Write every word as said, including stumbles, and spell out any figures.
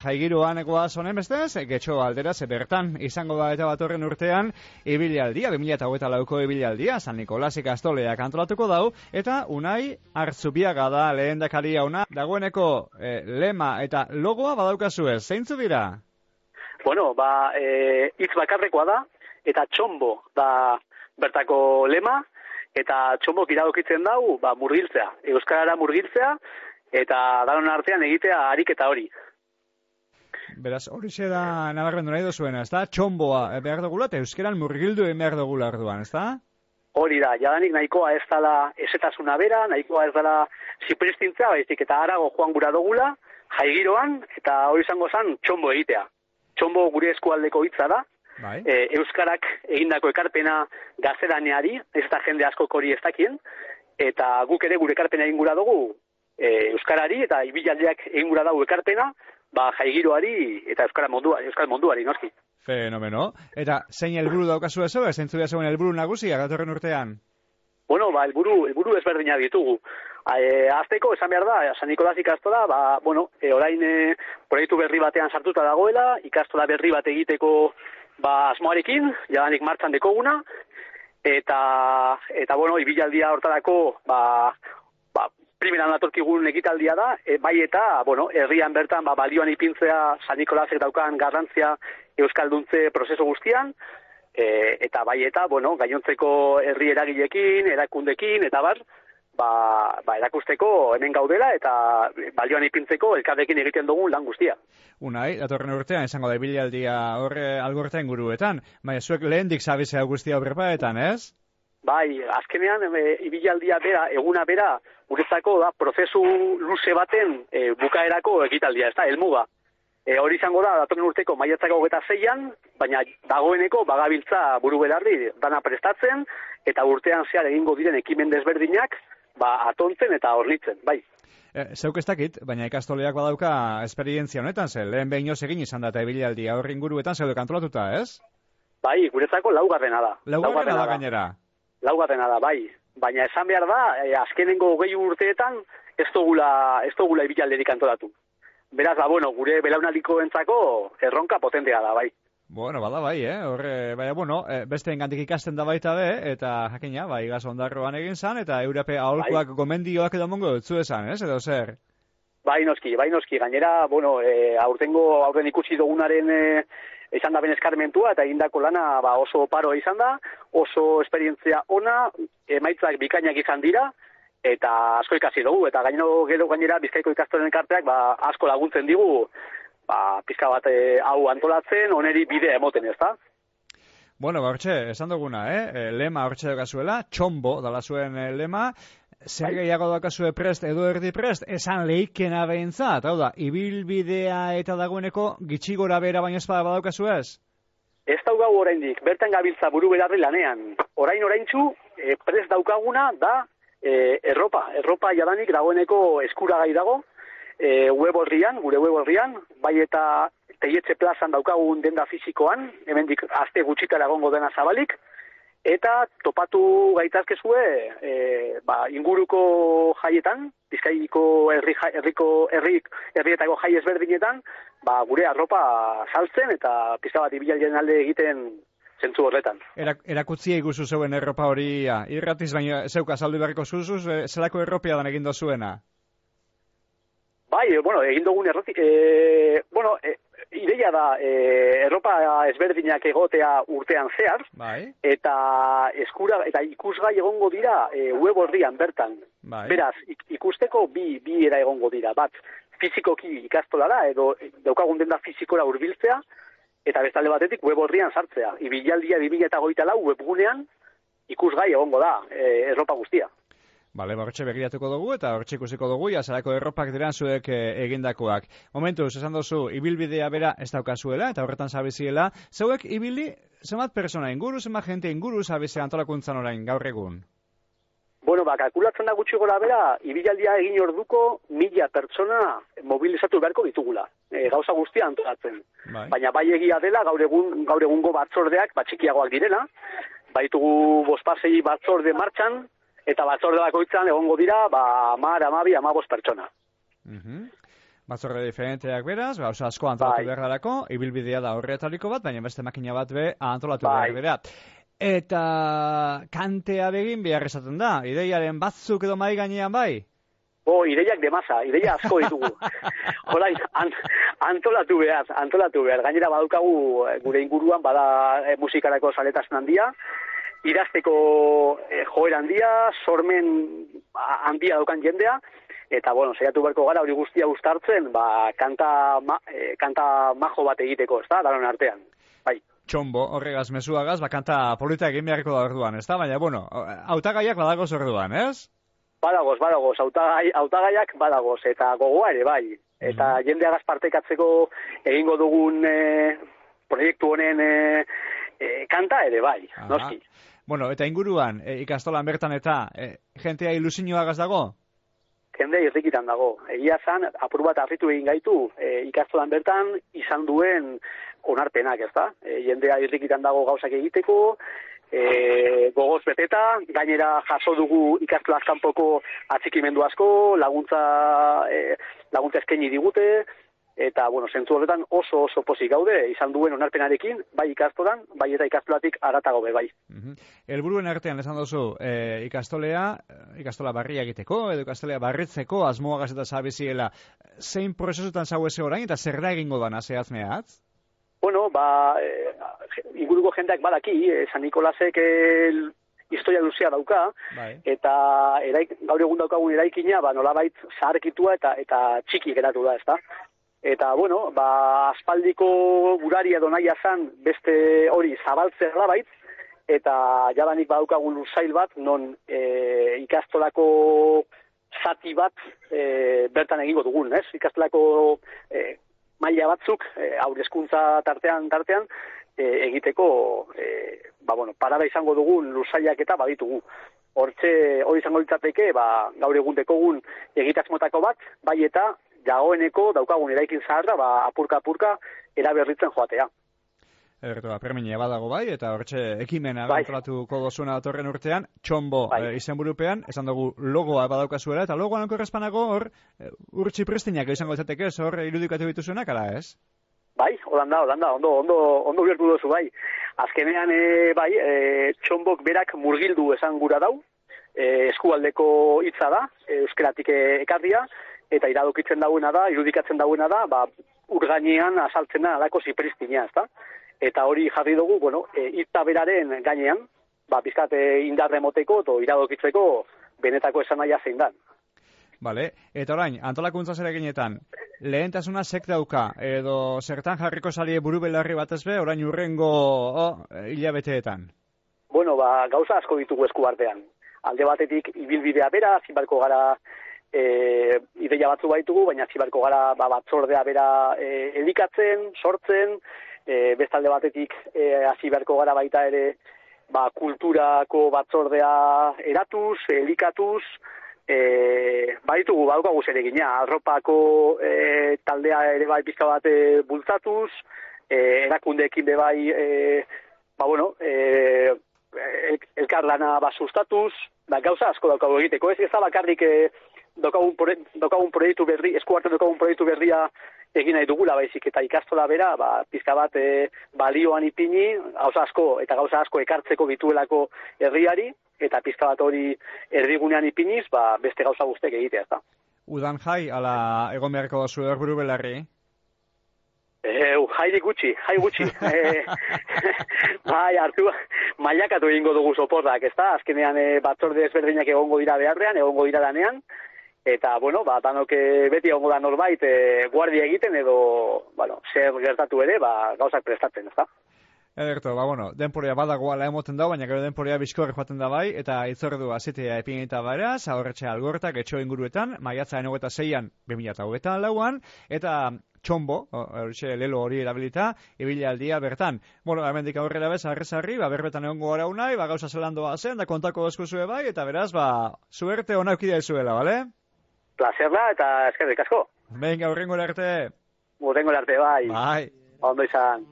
Jaigiroan goaz honen bestez, getxo aldera ze bertan izango da eta batorren urtean ibilaldia, bi mila hogeita lauko ibilaldia, San Nikolas ikastoleak antolatuko dau, eta Unai Arzubiaga da lehendakaria ona, dagoeneko eh, lema eta logoa badaukazue, zeintzu dira? Bueno, ba, e, hitz bakarrekoa da, eta txombo da bertako lema, eta txombok iradokitzen dau, ba, murgiltzea, euskarara murgiltzea, eta danon artean egitea ariketa hori. Beraz, hori da nabarmendu nahi dozuena, ez da? Txomboa behar dugula eta euskeran murgildu egin behar dugula arduan, ez da? Hori da, jadanik nahikoa ez dela esetasuna bera, nahikoa ez dela zipristintzea, baizik eta harago joan gura dugula, jaigiroan, eta hori izango zen txombo egitea. Txombo gure eskualdeko hitza da, bai. e, euskarak egindako ekarpena gaztelaneari, ez da jende askok hori ez dakien, eta guk ere gure ekarpena egin gura dugu e, euskarari, eta ibilaldiak egin gura dugu ekarpena, ba, jaigiroari eta euskara mondua, euskal munduari, noski. Fenomeno. Eta zein helburu daukazu ez, ez zentzu zeuen helburu nagusia datorren urtean? Bueno, ba, helburu, helburu ezberdinak ditugu. E, azteko, esan behar da, San Nikolas ikastola, ba, bueno, e, orain e, proiektu berri batean sartuta dagoela, ikastola berri bat egiteko ba, asmoarekin, jadanik martxan dekoguna, eta, eta bueno, ibilaldia hortarako, ba, ba, primeran datorkigun ekitaldia da, e, bai eta, bueno, herrian bertan ba, balioan ipintzea San Nikolasek daukan garrantzia euskalduntze prozesu guztian, e, eta bai eta, bueno, gainontzeko herri eragilekin, erakundekin, eta bar, ba, ba, erakusteko hemen gaudela, eta balioan ipintzeko elkarrekin egiten dugun lan guztia. Unai, datorren urtean, esango da ibilaldia horre algorta inguruetan, baina zuek lehendik zabizea guztia horrepaetan, ez? Bai, azkenean, e, ibilaldia bera, eguna bera, guretzako da, prozesu luze baten e, bukaerako ekitaldia, ez da, helmuga. E, hori izango da, datorren urteko maiatzako hogeita zeian, baina dagoeneko bagabiltza buru belarri dana prestatzen, eta urtean zehar egingo diren ekimen desberdinak, ba, atontzen eta hornitzen, bai. E, zeuk ez dakit, baina ikastoleak badauka esperientzia honetan, ze lehen behin egin izan da eta ibilaldia horri inguruetan zeude antolatuta, ez? Bai, guretzako laugarrena da. Laugarrena da gainera. Laugarrena da, bai. Baina esan behar da, eh, azkenengo hogei urteetan ez dugula, ez dugula ibilalderik antolatu. Beraz, ba, bueno, gure belaunaldiko entzako erronka potentea da, bai. Bueno, bada bai, eh? Horre, baina, bueno, beste engantik ikasten da baita be, eta jakina, bai, gaz ondarroan egin zan, eta Europe aholkuak bai. Gomendioak edo mongo dutzu esan, ez, edo zer? Bai, noski, bai, noski. Gainera, bueno, e, aurtengo, aurten ikusi dugunaren e, izan da ben eskarmentua, eta egindako lana ba, oso paroa izan da, oso esperientzia ona, emaitzak bikainak izan dira, eta asko ikasi dugu, eta gainero gero gainera Bizkaiko ikastolen elkarteak ba, asko laguntzen digu, ba, pizka bat e, hau antolatzen, oneri bidea emoten, ez da? Bueno, ba, hortxe, esan duguna, eh? Lema hortxe daukazuela, txombo dala zuen lema, zer gehiago daukazue prest edo erdi prest, esan leikena behintzat, hau da, ibilbidea eta dagoeneko gitxi gora bera baino espada badaukazu ez? Ez daugau oraindik, bertan gabiltza buru belarri lanean. Orain oraintzu, e, prest daukaguna da e, erropa. Erropa jadanik dagoeneko eskuragai dago, e, web horrian, gure web horrian, bai eta Teietxe plazan daukagun denda fizikoan, hemendik aste gutxitara egongo dena zabalik, eta topatu gaitazkezue e, ba, inguruko jaietan, Bizkaiko herri, herriko herri, herrietako jai ezberdinetan, ba, gure arropa saltzen eta pizka bat ibilalien alde egiten zentzu horretan. Erak, erakutzi eguzu zeuen erropa hori, ja, irratiz baina zeuka saldu beharriko zuzuz, e, zelako erropia dan egin dozuena? Bai, bueno, egin dugun errati, e, bueno, e, ideia da, e, erropa ezberdinak egotea urtean zehar, bai. eta eskura eta ikusgai egongo dira e, web horrian bertan. Bai. Beraz, ikusteko bi, bi era egongo dira. Bat, fizikoki ikastolara edo daukagun denda fizikora hurbiltzea, eta bestalde batetik web horrian sartzea. Ibilaldia bi mila hogeita lau webgunean ikusgai egongo da e, erropa guztia. Bale, hortxe begiratuko dugu eta hortxe ikusiko dugu, azarako erropak diran zuek e, egindakoak. Momentuz, esan dozu, ibilbidea bera ez daukazuela eta horretan zabiziela. Zeuek ibili, zenbat persona inguru, zenbat jente inguru zabizea antolakuntzan orain, gaur egun? Bueno, ba, kalkulatzen da gutxi gora bera, ibilaldia egin orduko mila pertsona mobilizatu beharko ditugula. E, gauza guztia antolatzen. Bai. Baina bai egia dela, gaur, egun, gaur egungo batzordeak, batxikiagoak direla, baitugu bospasei batzorde martxan, eta batzorde bakoitzan egongo dira, ba, amar, amabi, amabos pertsona. Uh-huh. Batzorde diferenteak beraz, ba, oso asko antolatu bai. behar darako, ibilbidea da horretaliko bat, baina beste makina bat be antolatu bai. behar bera. Eta kantea begin behar esaten da, ideiaren batzuk edo mai gainean bai? Bo, ideiak demasa, ideia asko ditugu. Horain, an, antolatu behar, antolatu behar. Gainera badukagu gure inguruan, bada e, musikarako saletasun handia, idazteko e, joera handia, sormen handia daukan jendea, eta, bueno, saiatu beharko gara hori guztia uztartzen, ba, kanta, ma, e, kanta majo bat egiteko, ez da, daron artean. Bai. Txombo, horregaz, mezuagaz, ba, kanta polita egin beharko da orduan, ez da? Baina, bueno, hautagaiak badagoz orduan, ez? Badagoz, badagoz, hautagai, hautagaiak badagoz, eta gogoa ere, bai. Eta mm-hmm. jendeagaz partekatzeko egingo dugun e, proiektu honen e, e, kanta ere, bai, aha. Noski. Bueno, eta inguruan, e, ikastolan bertan eta, e, jentea ilusioagaz dago? Jende irrikitan dago. Egia zan, apur bat harritu egin gaitu, e, ikastolan bertan izan duen onarpenak, ez da? E, jendea irrikitan dago gauzak egiteko, E, gogoz beteta, gainera jaso dugu ikastolaz kanpoko atxikimendu asko, laguntza e, laguntza eskaini digute, eta, bueno, zentzu horretan oso oso pozik gaude, izan duen onarpenarekin, bai ikastolan, bai eta ikastolatik aratago be, bai. Uh-huh. Elburuen artean esan duzu, e, ikastolea, ikastola barria egiteko, edo ikastolea barritzeko, asmoagaz eta zabiziela, zein prozesutan zaueze orain, eta zer da egingo dana, zehaz mehatz? Bueno, ba, e, inguruko jendeak badaki, e, San Nikolasek e, historia luzea dauka, bai. Eta eraik, gaur egun daukagun eraikina, ba, nolabait zaharkitua eta eta txiki geratu da, ezta? Eta, bueno, ba, aspaldiko guraria donaia zan beste hori zabaltzea labait, eta jadanik badaukagun lursail bat, non e, ikastolako zati bat e, bertan egingo dugun, ez? Ikastolako e, maila batzuk, e, haurezkuntza tartean tartean, e, egiteko, e, ba, bueno, parada izango dugun lursaiak eta baditugu. Hortxe, hori izango litzateke, ba, gaur egun dekogun egitasmotako bat, bai eta dagoeneko daukagun eraikin zaharra, ba, apurka-apurka eraberritzen joatea. Ederto, premia badago bai, eta hortxe ekimena bai. Antolatuko dozuna datorren urtean, Txombo bai. e, izenburupean, esan dugu logoa badaukazuela, eta logoan korrespanago hor, e, urtsi pristinak izango izateke, hor irudikatu dituzunak, ala ez? Bai, holanda, holanda, ondo, ondo, ondo biertu dozu bai. Azkenean, e, bai, e, Txombok berak murgildu esan gura dau, e, eskualdeko hitza da, e, euskeratik ekarria, eta iradokitzen dauena da, irudikatzen dauena da, ba, urgainean asaltzena alako zipristina, ez da? Eta hori jarri dugu, bueno, hitza e, beraren gainean, ba, bizkat indarre moteko, eta iradokitzeko benetako esan nahia zein dan. Bale, eta orain, antolakuntza zereginetan, lehentasuna sek dauka, edo zertan jarriko salie buru belarri batez be, orain urrengo oh, hilabeteetan? Bueno, ba, gauza asko ditugu esku artean. Alde batetik, ibilbidea bera, zibarko gara e, ideia batzu baitugu, baina zibarko gara ba, batzordea bera e, elikatzen, sortzen, E, bestalde batetik e, hasi beharko gara baita ere ba, kulturako batzordea eratuz, elikatuz, e, baditugu badukagu zeregina, arropako e, taldea ere bai pizka bat e, bultzatuz, e, erakundeekin be bai e, ba bueno, e, el, elkarlana ba sustatuz, da gauza asko daukagu egiteko, ez ez da bakarrik e, daukagun, daukagun proiektu berri, esku hartzen daukagun proiektu berria egin nahi dugula baizik eta ikastola bera, ba, pizka bat e, balioan ipini, gauza asko eta gauza asko ekartzeko bituelako herriari, eta pizka bat hori erdigunean ipiniz, ba, beste gauza guztek egitea, ez da. Udan jai, ala egon beharko dazu erburu belarri? E, jairi gutxi, jai gutxi. e, bai, hartu, mailakatu egingo dugu soporrak, ez da? Azkenean e, batzorde ezberdinak egongo dira beharrean, egongo dira danean, eta, bueno, ba, danok beti egongo da norbait e, guardia egiten edo, bueno, zer gertatu ere, ba, gauzak prestatzen, ez da? Ederto, ba, bueno, denporea badagoala emoten da, baina gero denporea bizkorri joaten da bai, eta itzordu azitea epinita beraz, aurretxe algortak, etxo inguruetan, maiatza enogeta zeian, bi mila eta lauan, eta Txombo, hori lelo hori erabilita, ibilaldia bertan. Bueno, hemendik aurrera bez, arrezarri, ba, berbetan egongo gara unai, ba, gauza zelandoa zen, da kontako eskuzue bai, eta beraz, ba, suerte ona eukidea izuela, bale? Plazerla eta eskerrik asko. Venga, horrengo arte. Horrengo arte, bai. Bai. Ondo izan.